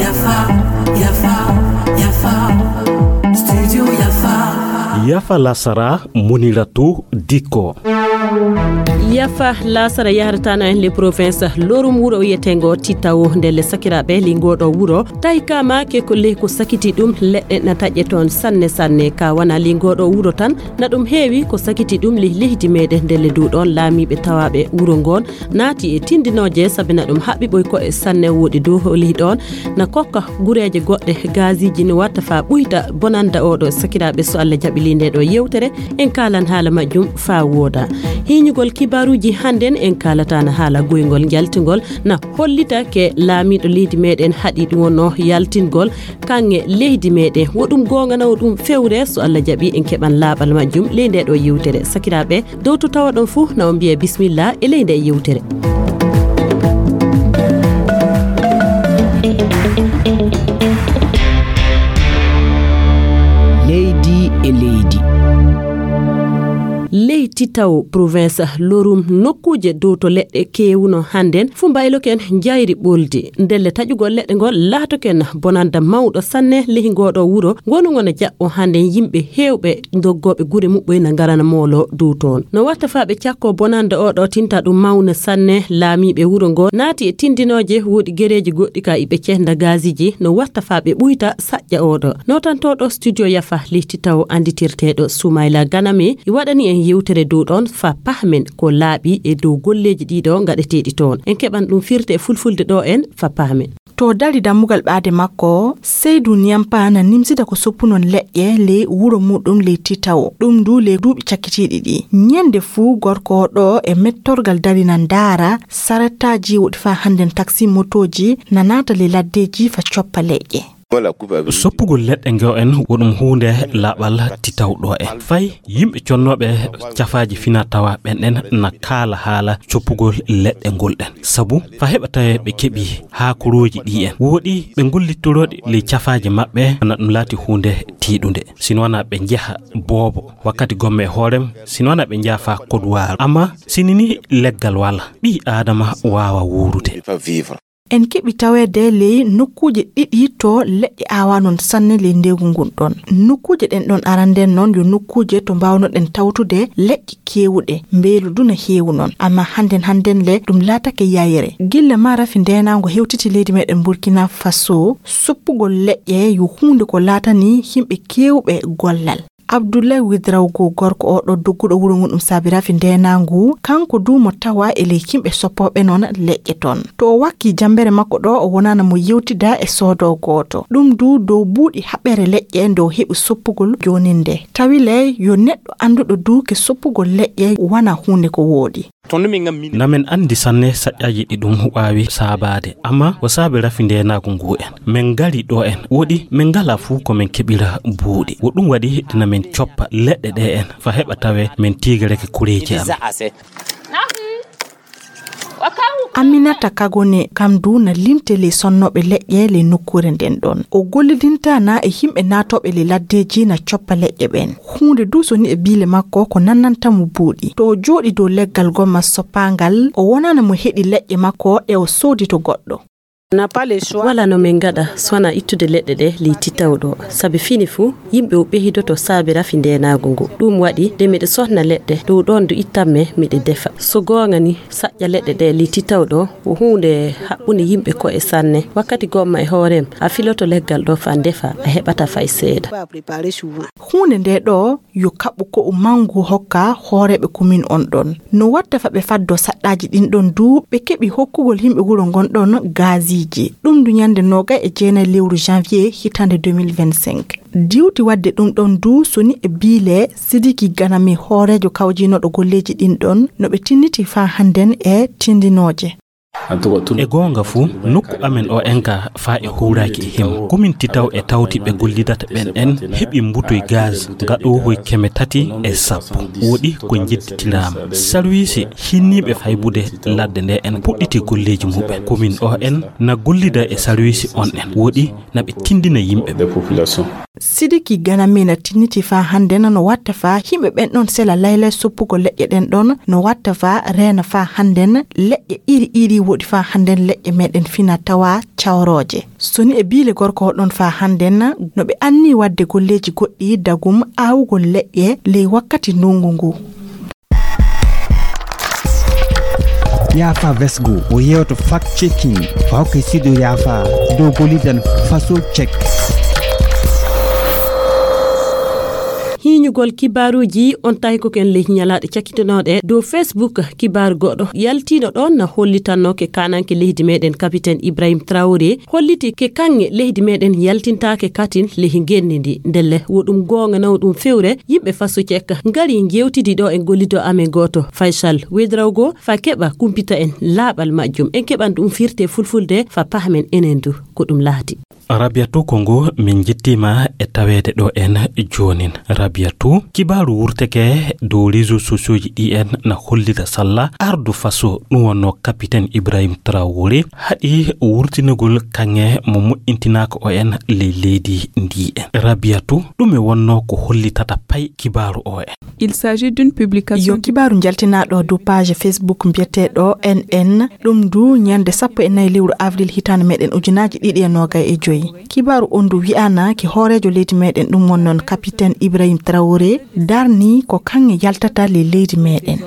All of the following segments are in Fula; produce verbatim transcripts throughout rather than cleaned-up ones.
Yafa, yafa, yafa. Studio yafa. Yafa lasara, Muniratu Diko. Yafa lasara yahrata no en le province lorum wuro wiyeteengo Titawo. Ndelle sakiraaɓe, li ngoɗo wuro tawi ka maake ko ley ko sakiti ɗum, leɗɗe na taƴe toon sanne sanne. Ka wana li ngoɗo wuro tan, na ɗum heewi ko sakiti ɗum ley leydi meɗen. Ndelle du ɗoon laamiiɓe tawaaɓe wuro ngoon naati e tindinooje, sabi na ɗum haɓɓi ɓoy ko e sanne. Woɗi du ley ɗoon na kokka gureeje goɗɗe, gaziiji no watta fa ɓuyta bonanda oɗo. Sakiraaɓe, so Allah jaɓi ley nde ɗo yewtere, en kaalan haala majjum fa wooda. Hiiñugol kibaaruuji hannden, en kaalataana haala goyngol njaltingol na hollita ke laamiiɗo leydi meɗen haɗi ɗum wonno yaltingol kaŋŋe leydi meɗen. Wo ɗum goonga na wo ɗum fewre? So Allah jaɓi, en keɓan laaɓal majjum ley nde ɗo yewtere. Sakiraaɓe, dow to tawaɗon fuu, na on mbiya bismillah e ley nde yewtere. Leydi e leydi. Ley Titawo, province Lorum, nokkuuje dow to leɗɗe keewuno hannden, fuu mbayloken njayri ɓoldi. Ndelle taƴugol leɗɗe ngol laatoken bonanda mawɗo sanne ley ngoɗo wuro, ngonu ngo na jaɓɓo hannden yimɓe heewɓe doggooɓe gure muɓɓoy na ngarana moolo dow toon. No watta fa ɓe cakko bonanda oɗo tinta ɗum mawna sanne, laamiiɓe wuro ngo naati e tindinooje, woɗi gereeji goɗɗi ka iɓe cehda gaziiji, no watta fa ɓe ɓuyta saƴƴa oɗo. Notantoɗo studio yafa ley Titawo anditirteɗo Soumaila Ganame, i waɗani en yewtere dow ɗoon fa pahmen ko laaɓi e dow golleeji ɗiɗo ngaɗeteeɗi toon. En keɓan ɗum firte e fulfulde ɗo en fa pahmen. To dari dammugal ɓaade makko, Seydou Niampa na nimsida ko soppunon leƴƴe ley wuro muɗum ley Titawo, ɗum du ley duuɓi cakkitiiɗi ɗi. Ñande fuu gorko o ɗo e mettorgal dari na ndaara sarettaaji woɗi fa hannden taksi motooji na naata ley laddeeji fa coppa leƴƴe. Soppugol leɗɗe ngo en wo ɗum huunde laaɓal titawɗo en. Fay yimɓe connooɓe cafaaji fina tawa ɓen ɗen na kaala haala coppugol leɗɗe ngol ɗen. Sabu fa heɓa tawe ɓe keɓi haakorooji ɗi en. Woɗi ɓe ngollittorooɗi ley cafaaji maɓɓe, na ɗum laati huunde tiiɗunde. Sino wana ɓe njeha boobo wakkati gomme e hoorem, sino wana ɓe njeha fa kodwaaru. Amma sini ni leggal wala, ɓii Aadama waawa wuurude. En keɓi taweede ley nokkuuje ɗiɗi to leƴƴe aawanon sanne ley ndeegu ngun ɗon. Nokkuuje ɗen ɗon aranden non yo nokkuuje to mbaawnoɗen tawtude leƴƴe keewuɗe, mbeelu du na heewu non. Amma hannden hannden le ɗum laatake yayre. Gilla ma rafi ndeenaango hewtiti leydi meɗen Burkina Faso, soppugol leƴƴe yo huunde ko laatani yimɓe keewɓe gollal. Abdoulaye Ouedraogo, gorko o ɗo dogguɗo wuro ngun ɗum saabi rafi ndeenaangu, kanko du mo tawa e ley yimɓe soppooɓe non leƴƴe ton. To o wakki jambere makko ɗo, o wonana mo yewtida e soodo gooto. Ɗum du dow buuɗi haɓere leƴƴe nde o heɓi soppugol jooninde. Tawi le yo neɗɗo annduɗo du ke soppugol leƴƴe wana huunde ko wooɗi. Na men anndi sanne saƴƴaaji ɗi ɗum waawi saabaade, amma o saabi rafi ndeenaagu ngu en. Men ngari ɗo en, woɗi men ngalaa fuu ko men keɓira buuɗi. Wo ɗum waɗi na men coppa leɗɗe ɗe en, fa heɓa tawe men tiigereke kureeji amen. Aminata Kagone, kam du na limte ley sonnooɓe leƴƴe ley nokkuure nden ɗon. O gollidinta na e yimɓe naatooɓe ley laddeeji na coppa leƴƴe ɓen. Huunde du soni e biile makko ko nannanta mo buuɗi. To o jooɗi dow leggal gomma soppaangal, o wonana mo heɗi leƴƴe makko ɗe o soodi to goɗɗo. Wala no min ngaɗa so wanaa ittude leɗɗe ɗe ley titawɗo. Sabi fini fuu, yimɓe o ɓehidoto saabi rafi ndeenaagu ngu. Ɗum waɗi, nde miɗo sohna leɗɗe, dow ɗoon du ittamme, miɗo defa. So goonga ni, saƴƴa leɗɗe ɗe ley titawɗo, wo huunde haɓɓunde yimɓe ko'e sanne. Wakkati gomma e hoorem, a filoto leggal ɗo faa ndefa, a heɓata fay seeɗa. Huunde nde ɗo yo kaɓɓu ko'u manngu hokka hooreeɓe komin on ɗon. No watta fa ɓe faddo saɗɗaaji ɗin ɗon du, ɓe keɓi hokkugol yimɓe wuro ngon ɗon gaasiiji. Ɗum du ñande noogay e jeenay lewru janvier hitaande deux mille vingt-cinq. Diwti waɗde ɗum ɗon du soni e biile Sidiki Ganami, hooreejo kawjiinooɗo golleeji ɗin ɗon, no ɓe tinniti faa hannden e tindinooje. E goonga fuu, nokku amen o en ka faa e huuraaki e himo. Komin titaw e tawti ɓe gollidata ɓen en heɓi mbutoy gaz gaɗoohoy keme tati e sappo. Woɗi ko njedditiraama. Sarwiisi hinniiɓe faybude ladde nde en puɗɗiti golleeji muɓɓen. Komin o en na gollida e sarwiisi on en. Woɗi na ɓe tindina yimɓe. Sidiki Ganamina tinniti faa hannden no watta faa yimɓe ɓen ɗon sela laylay soppugol leƴƴe ɗen ɗon, no watta faa reena faa hannden leƴƴe iri iri woɗi faa hannden leƴƴe meɗen fina tawa cawrooje. Soni e biile gorko o ɗon faa hannden no ɓe anni wadde golleeji goɗɗi dagum aawugol leƴƴe ley wakkati ndungu ngu. Yaafa Vesgo o yewto fact checking fawke sido yaafa dow golidan faso check. Hiiñugol kibaaruuji on tawi ko ken ley ñalaaɗe cakkitinooɗe dow Facebook. Kibaaru goɗɗo yaltiino ɗon na hollitanno ke kananke leydi meɗen kapiten Ibrahim Traoré holliti ke kanŋe leydi meɗen yaltintaake katin ley ngenndi ndi. Ndelle wo ɗum goonga naw ɗum fewre yimɓe faso cek ngari njewtidi ɗo e gollido amen gooto Faysal Wedrawgo fa keɓa kumpita en laaɓal majjum. En keɓan ɗum firte fulfulde fa pahmen enen du ko ɗum laati. Rabiyatu, ko ngu min njettiima e taweede ɗo en joonin. Rabiyatu, kibaaru wurteke dow réseaux sociaux ji ɗi en na hollita salla ardu faso ɗum wonno kapiten Ibrahim Traoré haɗi wurtinagol kaŋŋe mo moƴƴintinaaka o en ley leydi ndi en. Rabiyatu, ɗume wonno ko hollitata pay kibaaru o en? Il s'agit d'une publication. Yo kibaaru njaltinaaɗo dow page Facebook mbiyeteeɗo N N, ɗum du ñande sappo e nayi lewru avril hitaande meɗen ujunaaji ɗiɗi e noogay e joyi. Kibaaru on du wi'aana ke hooreejo leydi meɗen ɗum won noon kapiten Ibrahim Traoré darni ko kaŋŋe yaltata ley leydi meɗen.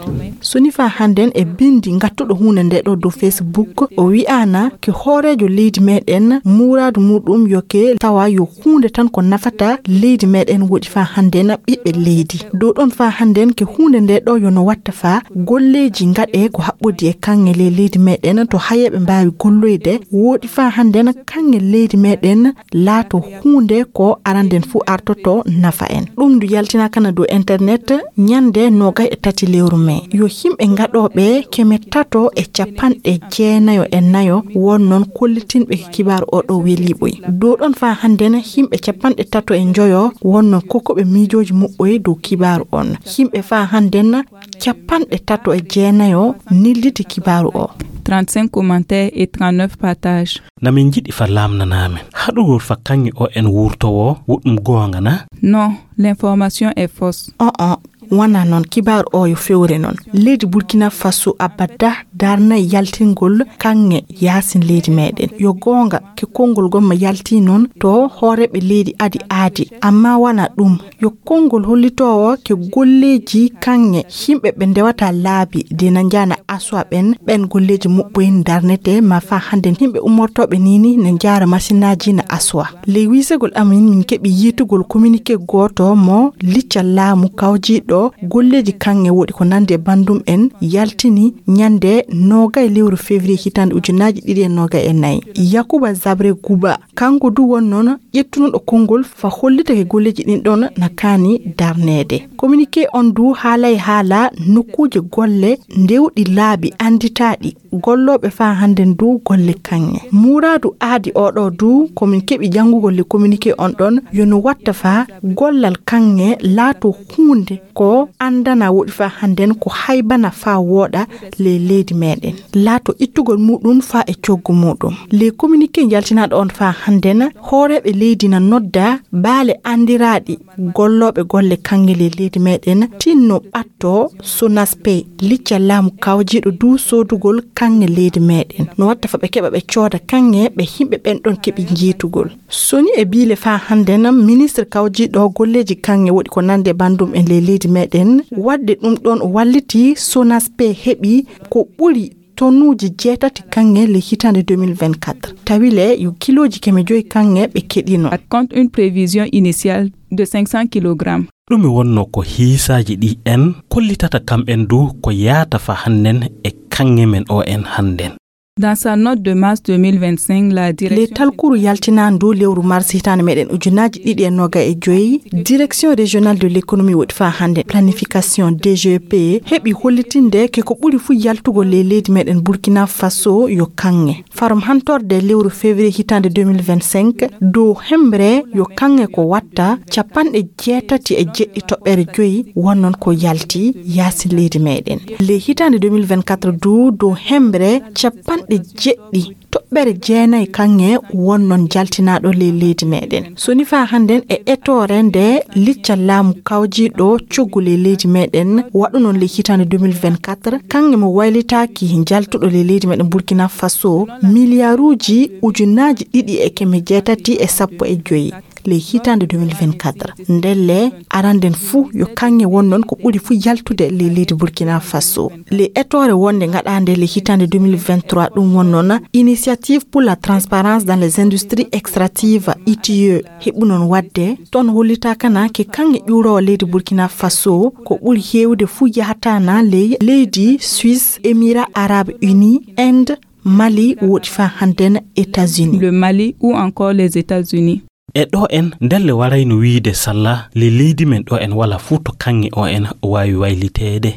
Soni faa hannden e binndi ngattuɗo huunde nde ɗo dow Facebook, o wi'aana ke hooreejo leydi meɗen muuraadu muuɗum yo ke tawa yo huunde tan ko nafata leydi meɗen woɗi faa hannden ɓiɓɓe leydi. Dow ɗon faa hannden ke huunde nde ɗo yo no watta faa golleeji ngaɗe ko haɓɓodi e kaŋŋe ley leydi meɗen to hayeeɓe mbaawi golloyde woɗi faa hannden kaŋŋe leydi meɗen laato huunde ko aranden fuu artoto nafa en. Ɗum ndu yaltinaakana dow internet ñande noogay e tati lewru mee. Yo yimɓe ngaɗooɓe keme tato e capanɗe jeenayo e nayo won noon kollitinɓe ko kibaaru o ɗo weliiɓoy. Dow ɗon faa hannden yimɓe capanɗe tato e njoyo won noon kokkuɓe miijooji muɓɓoy dow kibaaru on. Yimɓe faa hannden capanɗe tato e jeenayo nilliti kibaaru o. Trente-cinq commentaires et trente-neuf partages. Na min njiɗi fa laamnanaa men haɗugol fa kaŋŋe o en wurtowo wo ɗum goonga na? Non, l'information est fausse. On on wona noon, kibaaru o yo fewre noon. Leydi Burkina Faso abada darnay yaltingol kaŋŋe yaasin leydi meɗen. Yo goonga ke konngol gomma yalti noon to hooreeɓe leydi adi aadi, amma wona ɗum. Yo konngol hollitoowo ke golleeji kaŋŋe yimɓe ɓe ndewata laabi de na njaana aswa ɓen, ɓen golleeji muɓɓoy darnete ma faa hannden yimɓe ummortooɓe nini na njaara masinaaji na aswa. Ley wiisegol amin min keɓi yiitugol communiqué gooto mo licca laamu kawjiiɗo golleeji kaŋŋe woɗi ko nandi e bandum en yaltini ñande noogay lewru février hitaande ujunaaji ɗiɗi e noogay e nayi. Yakuba Zabre Guba, kanko du won noon ƴettunoɗo konngol fa hollitake golleeji ɗin ɗon na kaani darneede. Communiqué on du haalay haala nokkuuje golle ndewɗi laabi annditaaɗi gollooɓe faa hannden du golle kaŋŋe. Muuraadu aadi o ɗo du ko min keɓi janngugol le communiqué on ɗon yo no watta faa gollal kaŋŋe laato huunde ko anndana woɗi faa hannden ko haybana faa wooɗa ley leydi meɗen. Laato ittugol muɗum faa e coggu muɗum. Le communiqué njaltinaaɗo on faa hannden hooreeɓe leydi na nodda baale anndiraaɗi gollooɓe golle kaŋŋe ley leydi meɗen tinno ɓatto Sonaspe licca laamu kawjiiɗo du soodugol kaŋŋe leydi meɗen. No watta fa ɓe keɓa ɓe cooda kaŋŋe ɓe yimɓe ɓen ɗon keɓi njiitugol. Soni e biile faa hannden ministre kawjiiɗo golleeji kaŋŋe woɗi ko nande bandum en ley leydi meɗen. Wadde ɗum ɗon o walliti Sonaspe heɓi ko ɓuri tonuuji jeetati kaŋŋe le hitaande deux mille vingt-quatre. Tawi le yo kilooji keme joyi kaŋŋe ɓe keɗino. Compte une prévision initiale de cinq cents kilogrammes. Ɗume wonno ko hiisaaji ɗi en kollitata kam en du ko yaata fa hannden e kaŋŋe men o en hannden? Dans sa note de mars deux mille vingt-cinq, la direction... Le talkuru yaltinaandu lewru mars hitaande meɗen ujunaaji ɗiɗi e noga e joyi, direction régionale de l'économie woɗi faa hannde planification D G P heɓi hollitinde ke ko ɓuri fuu yaltugol ley leydi meɗen Burkina Faso yo kaŋŋe. Farum hantorde lewru février hitaande deux mille vingt-cinq, dow hembre yo kaŋŋe ko watta capanɗe jeetati e jeɗɗi toɓɓere joyi wonnon ko yalti yaasin leydi meɗen. Ley hitaande deux mille vingt-quatre du, dow hembre capanɗe jeɗɗi toɓɓere jeenayi kaŋŋe wonnon jaltinaaɗo ley leydi meɗen. So ni faa hannden e etoore nde licca laamu kawjiiɗo coggu ley leydi meɗen waɗunon ley hitaande deux mille vingt-quatre, kaŋŋe mo waylitaaki jaltuɗo ley leydi meɗen Burkina Faso, miliyaaruuji ujunaaji ɗiɗi e keme jeetati e sappo e joyi ley hitaande deux mille vingt-quatre. Ndelle, aranden fuu yo kaŋŋe wonnon ko ɓuri fuu yaltude ley leydi Burkina Faso. Ley etoore wonde ngaɗaande ley hitaande deux mille vingt-trois, ɗum wonnon Initiative pour la transparence dans les industries extractives, I T I E, heɓunon waɗde, toon hollitaakana ke kaŋŋe ƴuuroowo leydi Burkina Faso ko ɓuri heewde fuu yahataana ley leydi Suisse, Émirats Arabes Unis, Inde, Mali, woɗi faa hannden États-Unis. Le Mali ou encore les États-Unis. E ɗo en, ndelle warayno wiyde salla, le leydi men ɗo en wala fuu to kaŋŋe o en waawi wayliteede.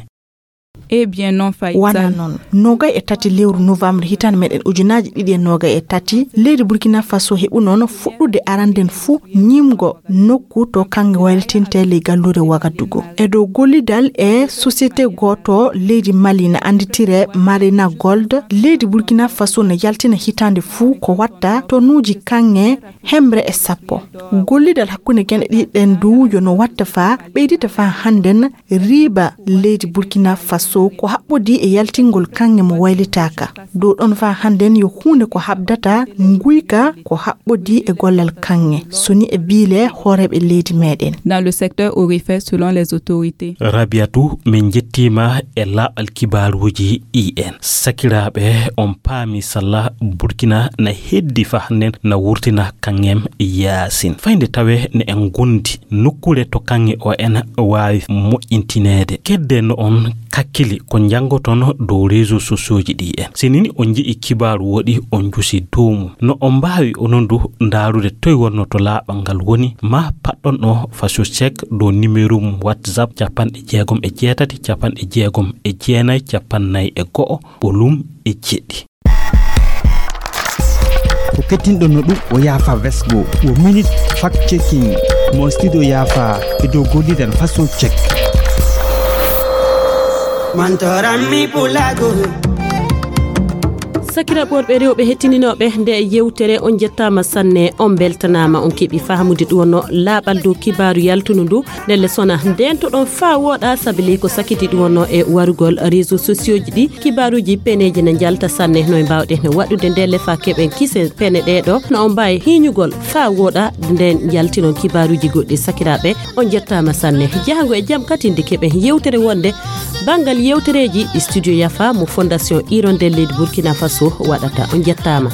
Eh bien non, Faisal. Wona noon. Nogay e tati lewru novembre hitaande meɗen ujunaaji ɗiɗi e nogay e tati, leydi Burkina Faso heɓunoon fuɗɗude aranden fuu ñimgo nokku to kaŋŋe waylitinte ley galluure Wagadugu. E dow gollidal e société gooto leydi Mali na annditire Marina Gold, leydi Burkina Faso na yaltina hitaande fuu ko watta tonuuji kaŋŋe hemre e sappo. Gollidal hakkunde gene ɗiɗi ɗen du yo no watta faa ɓeydita faa hannden riiba leydi Burkina Faso ko haɓɓodii e yaltingol kaŋŋe mo waylitaaka. Dow ɗon faa hannden yo huunde ko haɓdata nguyka ko haɓɓodii e gollal kaŋŋe, so ni e biile hooreeɓe leydi meɗen. Dans le secteur aurifère, selon les autorités. Rabiatu, min njettiima e laaɓal kibaaruuji ɗi en. Sakiraaɓe, on paami salla Burkina na heddi faa hannden na wurtina kaŋŋem yaasin. Fayde tawe ne en gondi nokkuure to kaŋŋe o en waawi moƴƴintineede. Kedde no on kakkili ko njanngoton dow réseaux sociaux ji ɗi en. Si nini on nji'i kibaaru woɗi on njusi dow mum. No on mbaawi onon du ndaarude toy wonno to laaɓal ngal woni, ma paɗɗon o Faso Check dow numéro mum WhatsApp capanɗe jeegom e jeetati, capanɗe jeegom e jeenayi, capanɗe nayi e go'o, ɓolum e jeɗɗi. Ko kettinɗon no ɗum o yaafa vesgo, wo minute fact checking mo studio yaafa e dow gollidan Faso Check. Mantoran mi pulago. Sakiraaɓe worɓe rewɓe hettininooɓe nde yewtere, on njettaama sanne, on mbeltanaama, on keɓi faamude ɗum wonno laaɓal dow kibaaru yaltundu ndu. Ndelle sona ndeentoɗon faa wooɗa, sabi ley ko sakiti ɗum wonno e warugol réseaux sociaux ji ɗi, kibaaruuji peneeji ne njalta sanne. No e mbaawɗen waɗude ndelle faa keɓen kise pene ɗee ɗo, no on mbaawi hiiñugol faa wooɗa nden njaltinon kibaaruuji goɗɗi. Sakiraaɓe, on njettaama sanne. Jahango e jam kadi nde keɓen yewtere wonde banngal yewtereeji ɗi studio Yafa mo Fondation Hirondelle leydi Burkina Faso waɗata. On njettaama.